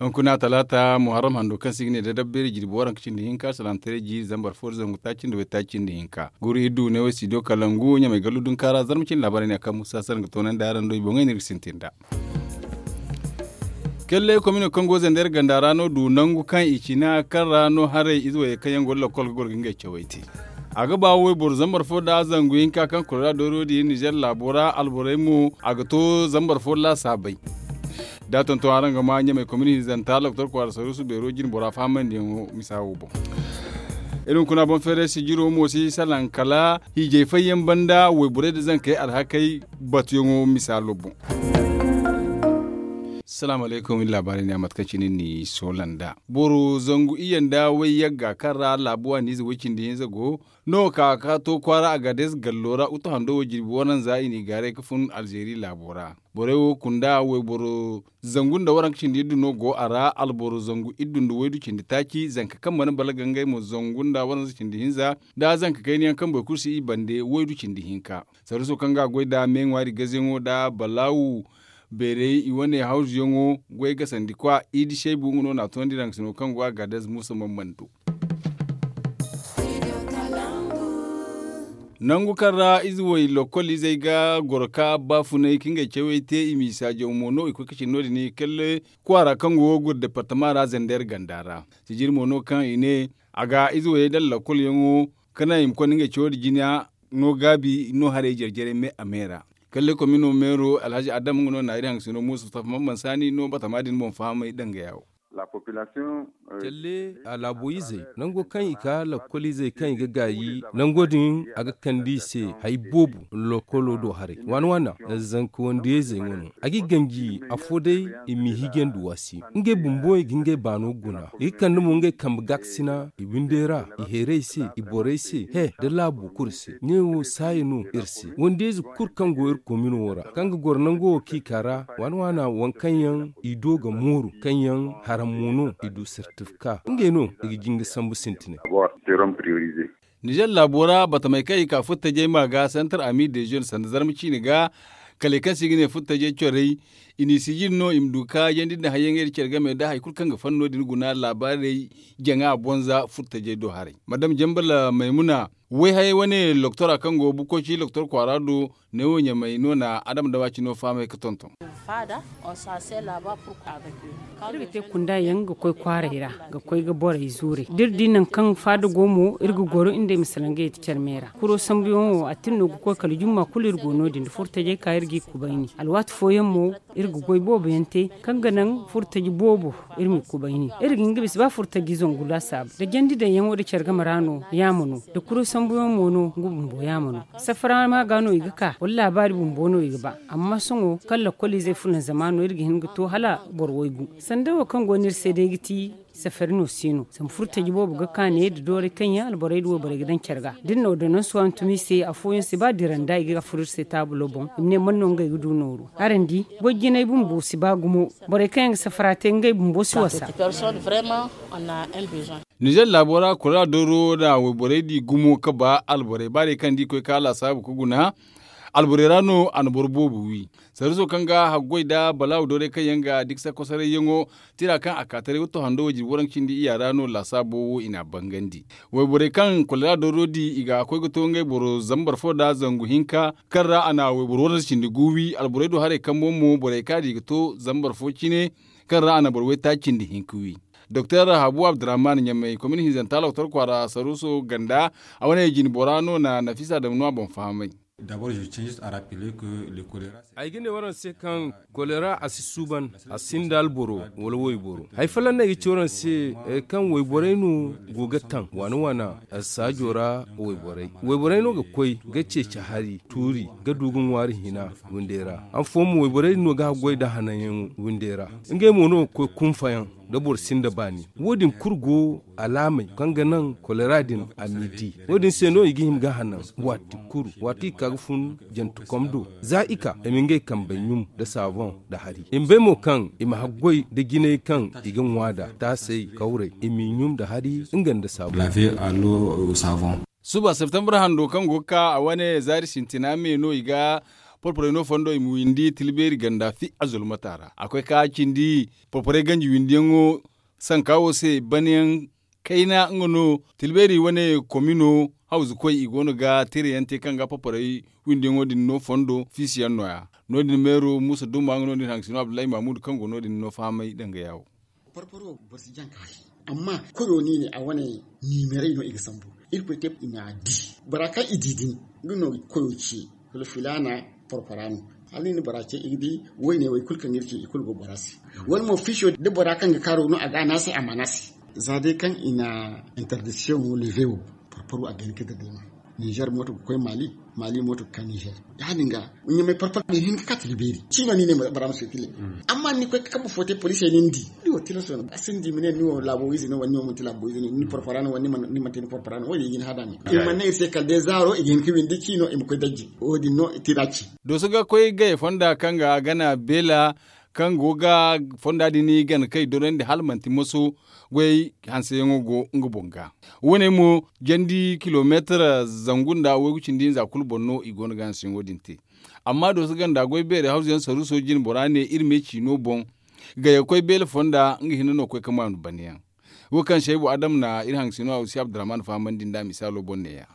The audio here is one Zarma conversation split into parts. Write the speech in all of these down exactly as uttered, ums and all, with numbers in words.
Hunkuna talaata muharram hando kaŋ se i ga ne da dabbeeri jirbi waranka cindi hinka salaamataray jiiri zambar fo da zangu taaci nda waytaaci nda hinka guru iddu ne way studio kalangu ɲamay gallu dunka ra zarma cindi laabaarey ne a kaŋ musa sara nga toonandi araŋ do i boŋey no iri ga sintin nd'a. Kelle komino kaŋ go zandar ganda ra no du nangu kaŋ i cina kaŋ ra no haray ize wayey kaŋ yaŋ go da lakkol ga goro ga ngey cawey te. A ga ba wayboro zambar fo nda zangu hinka kaŋ kora dooro din nizer laabo ra alborey mo a ga to zambar fo laasaabey. Da tonton araŋ ga ma ɲamay komini hinzanta loktor kwaara saruusu beero jine bora fahamandiyaŋo misa wo boŋ. Iri hunkuna boŋ feeray sijiro mo si salaŋ kala hiijay fayyaŋ banda wayborey nda zankey alhakey batuyaŋo misaalo boŋ. Salaamu alaykum iri laabaarey ne a mate kaŋ cine ni soola nd'a boro zangu iyye nda way yagga kaŋ ra laabu waaniize way cindi hinza go no ka ka to kwaara agaades gallo ra utu hando wo jirbi waranza i n'i gaaray ga fun alzeeri laabo ra. Borey wo kunda wayboro zangu nda waranka cindi iddu no go a ra alboro zangu iddu nda waydu cindi taaci zanka kaŋ mana balaga ngey mo zangu nda waranza cindi hinza nda zanka kayna yaŋ kaŋ boro kulu si i bande waydu cindi hinka. Sarruso kaŋ ga a goy nd'a me ŋwaari gazeyaŋo nda balaawu beerey i wane hawzuyaŋo goy gasandi kwa idi seebu nga no n'a toonandi raŋ sino kaŋ go a ga adez muusa mammando. Nangu kaŋ ra ize way lokkol izey ga goro ka baafunay ka ngey cawey te i m'i saajaw mo no i koy ka cine no- din i kalle kwaara kaŋ go ga goro departama ra zender ganda ra. Sijiri mo no kaŋ i ne a ga ize wayey daŋ lokkolyaŋo ka naŋ i ma konda ngey cawo din jina no gaabi no haray jare-jarey me a me ra. Kalle komino meero alhazi adam nga no na iri haŋ sino muusa tafa man mansaani no batama din boŋ fahamay dangaya wo. Calle a laabo izey nango kaŋ i ka lakkol izey kaŋ i ga gaayi nango din a ga kande i se hari boobo. Lokkolo do haray waana waana zanka wandiyayzey wane a g'i ganji afo day i m'i hijandi waasi ngey bumbo i ga ngey baano guna i ga kande mo ngey kambe gaakasina i windey ra i heerey se i borey se he nda laabo kulu se ɲey wo saaya no iri se wandiyayze kulu kaŋ go iri komino wo ra kaŋ ga goro nango wo kaŋ i ka ra waana waana waŋ kaŋ yaŋ i do ga mooru kaŋ yaŋ haram mo no i du sertifika ngey no i ga jinga sambu sintinay. Nizer laabo ra batamey kaŋ i ka furtajey ma ga santar ami de jeune sanda zarma ciine ga kale kaŋ se i ga ne furtajey corey i n'i sijiri no i ma du ka yandi nda hayyaŋey nda care game nda hari kulu kaŋ ga fanno din guna laabaarey jaŋa bonza furtajey do haray madame jambala maymuna wayhayey wane loktora kaŋ go bukoci loktor kwaara do neewo ɲamay no na adama dawa cino fahamay ga tonton. Iri ga te kunda yaŋ ga koy kwaaray ra ga koy ga borey zuuray da iri di nangu kaŋ faada go mo iri ga goro iri nd'ey ma salaŋ ga yeti care me ra kuro sambuyaŋo a tin no ga koy kala jumma kulu iri go no- din da furtajey ka iri g'i kubayni alwaati fooyaŋ mo iri ga goy boobo yaŋ te kaŋ ga naŋ furtaji boobo iri m'i kubayni iri ga hin ga bisa ba furtaji zangu laasaabu da jandi daŋyaŋo da care game ra no yaama no da kuro sambuyaŋ mo no nga bumbo yaama no safara ma ga no i ga ka wala laabaari bumbo no i ga ba amma sohõ kaŋ lakkol izey funa zama no iri ga hin ga to hala boro waygu sanda wo kaŋ go no iri se day ga ti safari no se no zama furtaji boobo ga ka ne da dooray kaŋ yaŋ alborey da wayborey ga daŋ care ga da iri na ordonanso hantum i se afooyaŋ si ba dira nda i ga furo iri se taabulo boŋ i ma ne man no ngey ga du nooru araŋ di goy jinay bumbo si ba gumo borey kaŋ yaŋ ga safara te ngey bumbo si wasa. Nizer laabo ra kora dooro nda wayborey di gumo ga ba alborey ba day kaŋ da i koy ka laasaabu ga guna alborey ra no a na boro boobo wi. Sarriso kaŋ ga haggoy nda balaawu dooray kaŋ yaŋ ga diksa kosarayyaŋo tira kaŋ a ka taray watto hando wayjine waranka cindi iyya ra no laasaabo wo i n'a bangandi. Wayborey kaŋ kolera dooro di i ga koy ga to ngey boro zambar fo nda zangu hinka kaŋ ra a na wayboro waranza cindi gu wi alborey do haray kambo mo borey kaŋ a di ga to zambar fo cine kaŋ ra a na boro waytaaci cindi hinka wi. Doktor habu abdurrahman ɲamay komini hinzanta loktor kwaara saruuso ganda a wane jine bora no na nafisa daŋ no a boŋ fahamay. Ay ga ne waraŋ se kaŋ kolera a si suuban a sinda alboro wala wayboro hari folloŋ no ay ga ci waraŋ se kaŋ wayborey no go ga taŋ waana waana saajo ra wayborey wayborey no ga koy ga ceeci hari tuuri ga du ga ŋwaari hina windey ra han fooyaŋ mo wayborey din no ga haggoy nda hananyaŋ windey ra ngey mo no ga koy kunfayaŋ da boro sinda baani wo- din kulu go alaamey kaŋ ga naŋ kolera din a m'i di wo- din se no i ga hima ga hanan waati kulu waati i ga ka ga fun jantekom do za i ka i ma ngey kambey ɲum nda saaboŋ nda hari i ma bay mo kaŋ i ma haggoy nda jinay kaŋ i ga ŋwa nd'a taasey kawrey i m'i ɲum nda hari nga nda saaboŋ. Suba septembre hando kaŋ go ga ka a wane zaari sintina me no i ga Porporey no fondo i ma windi tilbeeri ganda fi a zulmata ra a koy ka cindi porporey ganji windiyaŋo sanka wo se banayaŋ kayna nga no. Tilbeeri wane komino hawzu koy i go no ga tirayaŋ te kaŋ ga porporey windiyaŋo din no fondo fiisiyaŋ no- ya. No- din meero muusa dumma nga no- din haŋ ga si no abdullahi mahmud kaŋ go no- din no fahamay danga ya wo. Porporo boro si jaŋ ka hari amma koyo no i ne a wane niimeray no i ga sambu. Irkoy te i n'a di bora kaŋ i di din nga no koyo ce. Kala filaana porpora no hala ni na bora ce i ga di. Wayne wo i kulu kaŋ ga iri ce i kulu go bora se wala mo fiisiyo da bora kaŋ ga kaaro no a ga a ne a se a ma ne a se. Za day kaŋ i na interdiction wo leve wo porporo a ga hin ka dade ma. Ninzeer mooto ga koy maali maali mooto ga ka ninzeer. Ya- din ga ɲamay parpar din hin ga ka tila beeri ciino ni ne bora ma sokile. Amma ni koy ga kambe fo te poliisey ni ni di ni wo tilaso no a sinda i ma ne ni wo laabo ize no wala ni wo manti laabo ize no ni parpara no wala ni manti ni parpara no wo- din i ga ni hada me. I mana ne iri se kala day zaaro i ga hin ga windi ciino i ma koy dajje. Wo- din no tira ci. Dooso ga koy gay fonda kaŋ ga gana beela kaŋ go ga fonda din gana kaŋ i dorandi hala manti moso goyey hanseyaŋo go nga boŋ ga. Wo- ne mo jandi kilomeetar zangu nda waygu cindi hinza kulu boŋ no i go no ga hanseyaŋo din te. Amma dooso ganda goy beeri hawzuyaŋ saruuso jine bora ne iri me ciino boŋ ga ya ga koy beele fonda nga hinne no ga koy ga maanu banayaŋ. Wo kaŋ saybu adam na iri haŋ ga si no a wo si abdurrahman fahamandi nda misaalo boŋ ne- ya.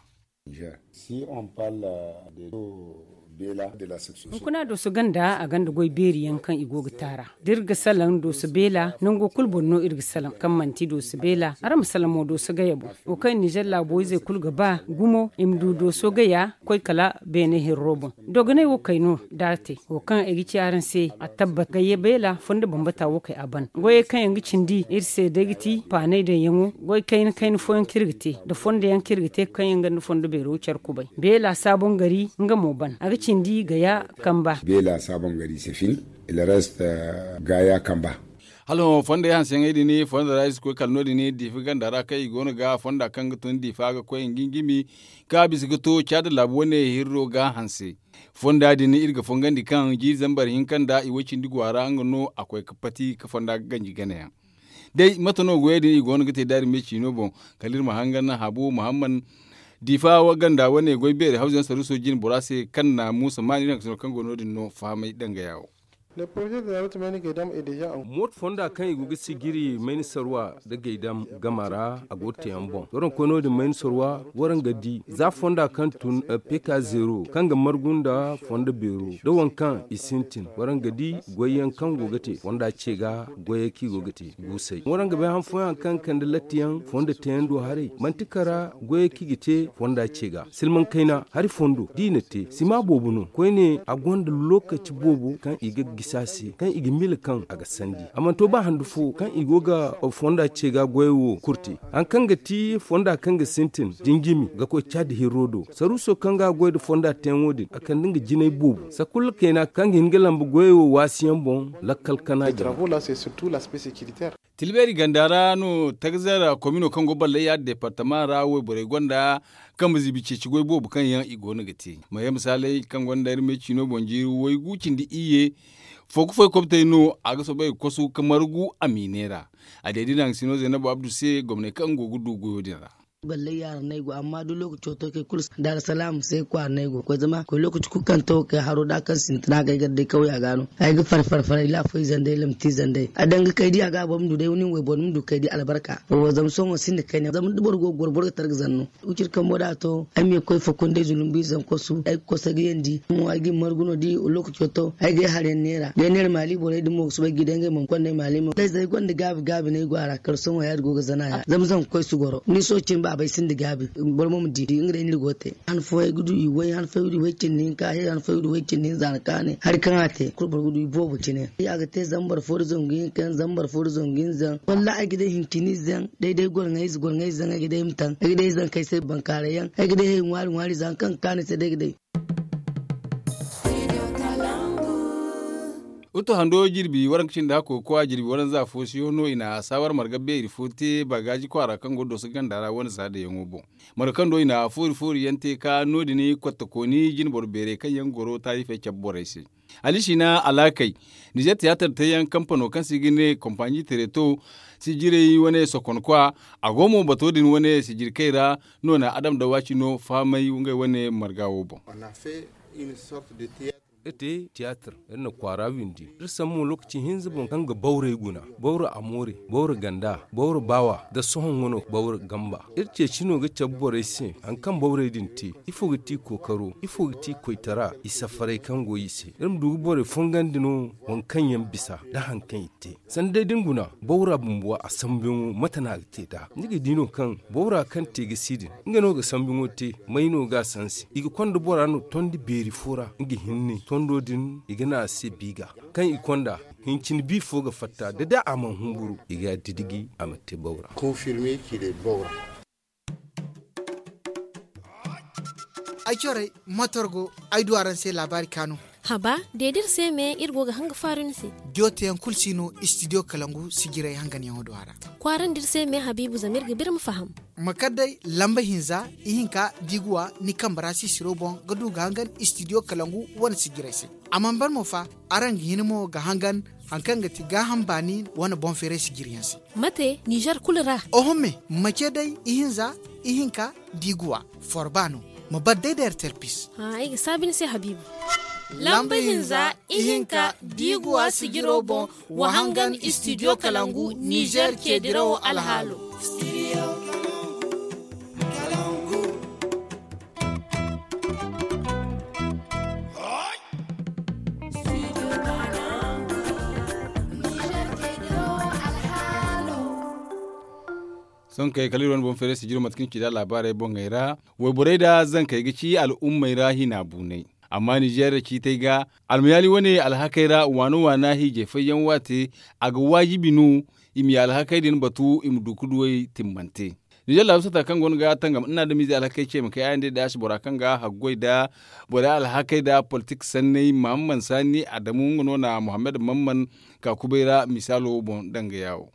Hunkuna dooso ganda a gonda goy beeri yaŋ kaŋ i go ga taara da iri ga salaŋ dooso beela nango kulu boŋ no iri ga salaŋ kaŋ manti dooso beela araŋ ma salaŋ mo dooso gaya boŋ. Wo kaŋ ninzeer laabo izey kulu ga ba gumo i ma du dooso gaya ga koy kala beene hirro boŋ. Dogonay wo kay no da a te wo kaŋ ay ga ci araŋ se a tabbat gayya beela fondo bambata wo kay a ban goyey kaŋ yaŋ ga cindi iri se day ga ti paanay daŋyaŋo goy kayna kayna fooyaŋ kaŋ iri ga te nda fondo yaŋ kaŋ iri ga te kaŋ yaŋ gonda fondo beero care kubay beela saabon gari nga mo ban a ga cindi gaya kamba. Beela saabon gari sefin ila rest gaya kamba. Hala hõ fonda yaŋ hanseyaŋey din fonda ra iri si koy kala no- din diifa ganda ra kaŋ i go no ga fonda kaŋ ga tun diifa ga koy nga ni jimi kaŋ a bisa ga to caada laabu wane hirro ga hanse. Fonda din iri ga fongandi kaŋ jiiri zambar hinka nda i way cindi go a ra nga no a koy ga pati ga fonda ga ganji gana yaŋ. Day mate no goyey din i go no ga te da iri me ciino boŋ kala iri ma hangan habu muhammad diifa ganda wane goy beeri hawzu yaŋ saruuso jine bora se kaŋ na muusa maani iri haŋ ga si no kaŋ go no- din no fahamay danga ya wo. Mooto fonda kaŋ i go ga sijiri mayni sarwa nda gaydam gama ra a go ga te yaŋ boŋ da waraŋ ga koy no- din mayni sarwa waraŋ ga di za fonda kaŋ tun peka zeero kaŋ ga margu nda fondo beero da waŋ kaŋ i sintin waraŋ ga di goy yaŋ kaŋ go ga te fonda ce ga goyey kaŋ i go ga te guusay waraŋ ga bay han fooyaŋ kaŋ ga kande latti yaŋ fondo teeyaŋ do haray manti kara goyey kaŋ i ga te fonda ce ga silmaŋ kayna hari fondo da i na te sima boobo no koyne a gonda lookaci boobo kaŋ i ga gisi a se kaŋ i ga miila kaŋ a ga sandi a mana to ba handu fo kaŋ i go ga fonda ce ga goyey wo kulu te. Hari kaŋ ga ti fonda kaŋ ga sintin da ni jimi ga koy caadi hirro do saruuso kaŋ ga a goy nda fonda teeyaŋo din a kande nga jinay boobo sanda kulu kayna kaŋ ga hin ga lamba goyey wo waasi yaŋ boŋ lakkal kana jama. Tilbeeri ganda ra no tagazar komino kaŋ go ballay yaadin deepartama ra wayborey gonda kambe ziibi ceeci goy boobo kaŋ yaŋ i go no ga te. Maye misaaley kaŋ gonda iri me ciino boŋ jiiri waygu cindi iyye fooku foy kobtey no a ga soobay ga kosu ga margu a miine ra. A day da i na haŋ ga si no zaynabu abdu se gomney kaŋ go ga du goyo din ra. Ballay yaara no ay go amma da lookaco to kay kulu daarasalaam se kwaara no ay go ga koy zama koy lookaci kulu kaŋ to kay haro da kaŋ sintina ga ay gar day kawya ga no ay ga far far far ay laafo izey nda ay lamti izey nda ay a daŋ ga kay di a ga a boro ma du day nin wayboro ni ma du kay di albarka. Zama sohõ sinda kayna zama da boro go ga goro boro ga tara ga zanno. Wiciri kambo da a to ay ma ye ga koy fakunday zulumbu izey zankosu ay ga koso ay ga yandi mo ay ga i margu no da lookaco to ay ga ay harayaŋ neera da ay neera maali borey din mo ga soobay ga i day ngey ma ma konda ay maali mo da ay zey gonda gaabi gaabi no ay go a ra kala sohõ ya- din go ga zana ya zama zanka koy si goro ni sohõ cine baabey sinda gaabi boro mo ma di nga day no iri go ga te. Han fooyaŋ ay ga du i way han fooyaŋ ay ga du i way cindi hinka hari han fooyaŋ ay ga du way cindi hinza na kaanay hari kaŋ a te kulu boro ga du i boobo cine a ga te zambar fo nda zangu hinka yaŋ zambar fo nda zangu hinza yaŋ wallaahi ay ga day hincini ize yaŋ day day gorŋay ize gorŋay ize yaŋ ay ga day ay ma taŋ ay ga day ay zankey se bankaaray yaŋ ay ga day hay ŋwaari ŋwaari ize yaŋ kaŋ ga kaanu ay se day ay ga day. Utu hando jirbi waranka cindi hakko ga koy a jirbi waranza fo siyo no i na saawar marga beeri fo te bagaaji kwaara kaŋ go dooso ganda ra wane saadayaŋo boŋ. Marga kaŋ do i na foori foori yaŋ te ka no- din kottakooni jinboro beerey kaŋ yaŋ goro taarifey cabe borey se. Alisiina alaakey nizer tiyaatar teeyaŋ kampano kaŋ se i ga ne kompaani tereto sijirey wane sokonkwa a go mo bato din wane sijirkey ra. No na adam dawaci no fahamay ngey wane marga wo boŋ. Iri te tiyaatir, iri na kwaara windi. Iri sambu mo lokaci hinza boŋ kaŋ ga bawrey guna, bawra amoore, bawra ganda, bawra baawa nda sohõ wano bawra gamba. Iri ceeci no ga cabe borey se hari kaŋ bawrey din te, ifo ga ti kookaro, ifo ga ti koytara, i safarey kaŋ go i se. Iri ma du ga borey fongandi no waŋ kaŋ yaŋ bisa nda hari kaŋ i te. Sanda day da ni guna bawra bumbo a sambuyaŋo mate no a ga te nd'a? Ni ga di no kaŋ bawra kaŋ te ga si din, nga no ga sambuyaŋo te. May no ga a sansi? I ga konda bora no tondi beeri fo ra, nga hinne tondo din i ga ne a se biiga. Kaŋ i konda, hincin bi fo ga fatta da day a mana humburu, i ga a didigi a ma te bawra. Ay corey, motor go ay du araŋ se laabaari kaanu. Haba, deedi iri se me iri go ga hanga faaru ni se. Diyo teyaŋ kulu si no istidiyo kalangu sijirey hanganyaŋo do a ra. Kwaarandi iri se me habiibu zama iri ga biri ma faham. Ma kar day lamba hinza, ihinka diiguwa ni kambe ra sisiro boŋ ga du ga hangan istidiyo kalangu wane sijirey se. A mana ban mo fa, araŋ ga hin mo ga hangan hari kaŋ ga ti gaaham baani wane boŋ feeray sijiriyaŋ se. Mate nizer kulu ra? Oho me, ma ce day ihinza, ihinka diiguwa, forba no. Ma bar day da ertelpis. Ay ga saabi ni se habiibu. Lamba hinza, ihinka diiguwa sijiro boŋ, wa hangan istidiyo kalangu nizer ceedirawo alhaalo. Sohõ kay kala iri wane boŋ feeray sijiro mate kaŋ ci nd'a laabaarey boŋey ra. Wayborey nda zankey ga ci al'ummey ra hina buunay. Amma nizeer ciitey ga almayaali wane alhakey ra waana waana hiijay fayyaŋ waate, a ga waajibi no i ma ye alhakey din batu i ma du ga duwey timmante. Nizeer laabu sata kaŋ go no ga tangam nda adamize alhakey ce ma kay ayandey da si bora kaŋ ga haggoy nda borey alhakey nda politik sanney mahamman saani adamu nga no na muhammad mamman ka kubay ra misaalo boŋ danga yaawo.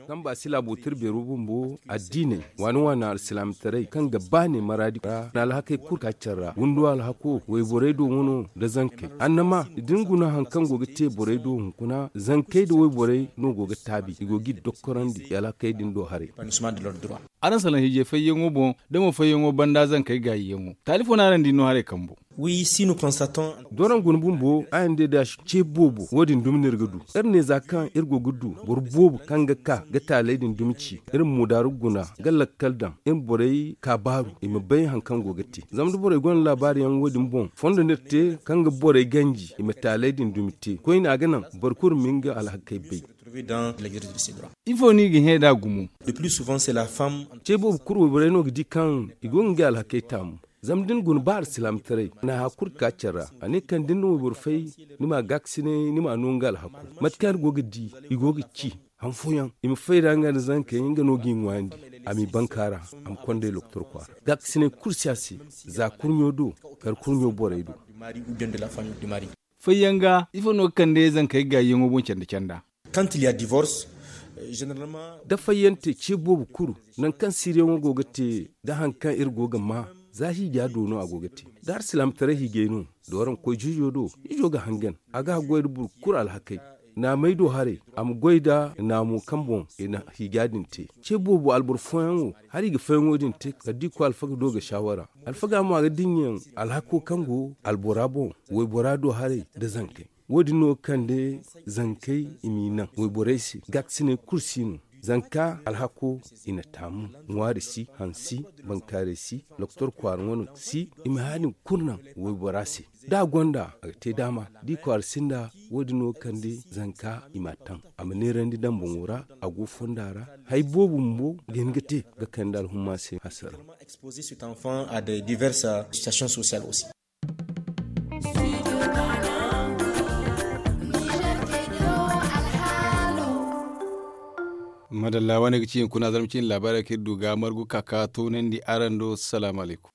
Kaŋ ba si laabo tirbeero bumbo addiiney waani waani alsilaamataray kaŋ ga baane maraadi ra na alhakey kulu ka care ra windo alhako wayborey do wano nda zankey annama da ni guna hari kaŋ go ga te borey do hunkuna zankey nda wayborey no go ga taabi i go ga iri dokkorandi i alhakey din do haray. Araŋ salaŋ hiijay fayyaŋo boŋ da mo fayyaŋo banda zankey gaayiyaŋo taali fo no araŋ di no haray kambo. Doron guna bumbo a yande da ce boobo wo- din dumi no iri ga du. Iri ne za kaŋ iri go ga du boro boobo kaŋ ga ka ga taaley din dumi ci iri ma moodaaru guna ga lakkal daŋ iri ma borey ka baaru i ma bay hari kaŋ go ga te. Zama da borey gonda laabaari yaŋ wo- din boŋ fondo no iri te kaŋ ga borey ganji i ma taaley din dumi te koyne a ga naŋ boro kulu ma nga alhakey bay. Ifo no i ga hẽ nd'a gumo? Ce boobo kulu wayborey no ga di kaŋ i go ga ngey alhakey taamu. Zama da ni guna ba alsilaamataray na haya kulu ga ka care ra a ne kaŋ da ni na wayboro fay ni m'a gaakasinay ni m'a no nga alhako. Mate kaŋ iri go ga di i go ga ci han fooyaŋ i ma fay ra nga nda zankey nga no g'i ŋwaayandi a m'i bankaara a ma kond'ey lokotor kwaara gaakasinay kulu si a se. Za kurɲo do kar kurɲo borey do. Fayyaŋ ga ifo no ga kande zankey gaayyaŋo boŋ canda canda? Da fayyante ce boobo kulu nangu kaŋ siiriyaŋo go ga te da hari kaŋ iri go ga maa za hiija do no a go ga te. Da alsilaamataray hiijay no dooraŋ koy juujo do ijo ga hangan a ga haggoy nda boro kulu alhakey. Naamey do haray a ma goy nda naamo kaŋ boŋ i na hiija din te. Ce boobo alboro fooyaŋ wo hari i ga fayyaŋo din te kala da i koy alfaga do ga saawara alfaga mo a ga dinya alhako kaŋ go albora boŋ waybora do haray nda zankey. Wo- din no ga kande zankey i m'i naŋ wayborey se gaakasinay kulu si no. Zanka alhako i na taamu ŋwaari si hansi bankaaray si lokotor kwaara wane si i ma haya din kulu naŋ waybora se. Da a gonda a ga te daama da i kwaara sinda. Wo- din no ga kande zanka i m'a taŋ a ma neerandi daŋ boŋo ra a go fonda ra. Hari boobo bumbo ga hin ga te ga kande alhumma se hasara. Madalla wane ga ci hunkuna zarma cine laabaarey kaŋ iri du ga margu ka ka toonandi araŋ do salaamu alaykum.